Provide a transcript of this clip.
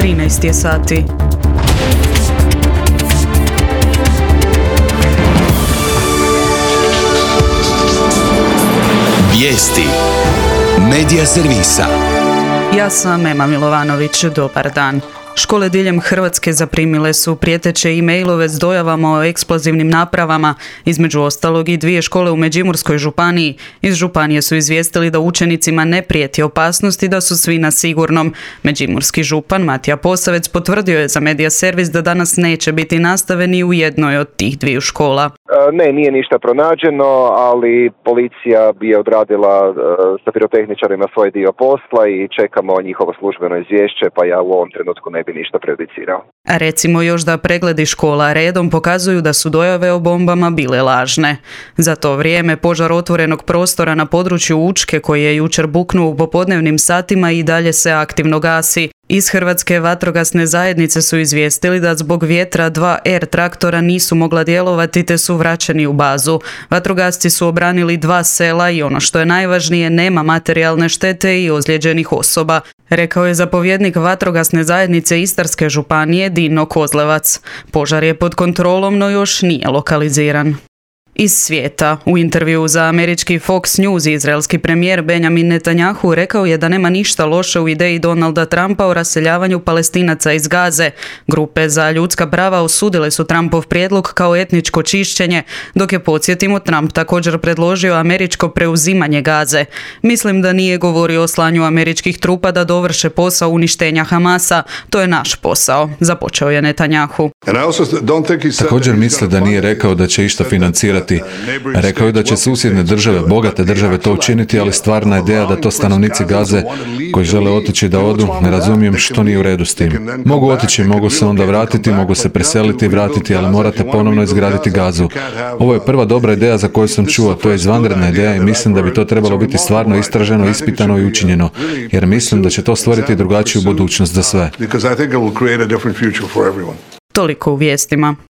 13 je sati. Vijesti Medija servisa. Ja sam Ema Milovanović, dobar dan. Škole diljem Hrvatske zaprimile su prijeteće e-mailove s dojavama o eksplozivnim napravama, između ostalog i 2 škole u Međimurskoj županiji. Iz županije su izvijestili da učenicima ne prijeti opasnost i da su svi na sigurnom. Međimurski župan Matija Posavec potvrdio je za Medija servis da danas neće biti nastave ni u jednoj od tih 2 škola. Ne, nije ništa pronađeno, ali policija bi odradila sa pirotehničarima svoj dio posla i čekamo njihovo službeno izvješće, pa ja u ovom trenutku ne bi ništa prejudicirao. A recimo još da pregledi škola redom pokazuju da su dojave o bombama bile lažne. Za to vrijeme požar otvorenog prostora na području Učke koji je jučer buknuo u popodnevnim satima i dalje se aktivno gasi. Iz Hrvatske vatrogasne zajednice su izvijestili da zbog vjetra 2 R traktora nisu mogla djelovati te su vraćeni u bazu. Vatrogasci su obranili 2 sela i ono što je najvažnije, nema materijalne štete i ozlijeđenih osoba, rekao je zapovjednik vatrogasne zajednice Istarske županije Dino Kozlevac. Požar je pod kontrolom, no još nije lokaliziran. Iz svijeta. U intervjuu za američki Fox News izraelski premijer Benjamin Netanjahu rekao je da nema ništa loše u ideji Donalda Trumpa o raseljavanju Palestinaca iz Gaze. Grupe za ljudska prava osudile su Trumpov prijedlog kao etničko čišćenje, dok je, podsjetimo, Trump također predložio američko preuzimanje Gaze. Mislim da nije govorio o slanju američkih trupa da dovrše posao uništenja Hamasa. To je naš posao, započeo je Netanjahu. Također misle da nije rekao da će išta financirati. Rekao je da će susjedne države, bogate države to učiniti, ali stvarna ideja da to stanovnici Gaze koji žele otići da odu, ne razumijem što nije u redu s tim. Mogu otići, mogu se onda vratiti, mogu se preseliti i vratiti, ali morate ponovno izgraditi Gazu. Ovo je prva dobra ideja za koju sam čuo, to je izvanredna ideja i mislim da bi to trebalo biti stvarno istraženo, ispitano i učinjeno, jer mislim da će to stvoriti drugačiju budućnost za sve. Toliko u vijestima.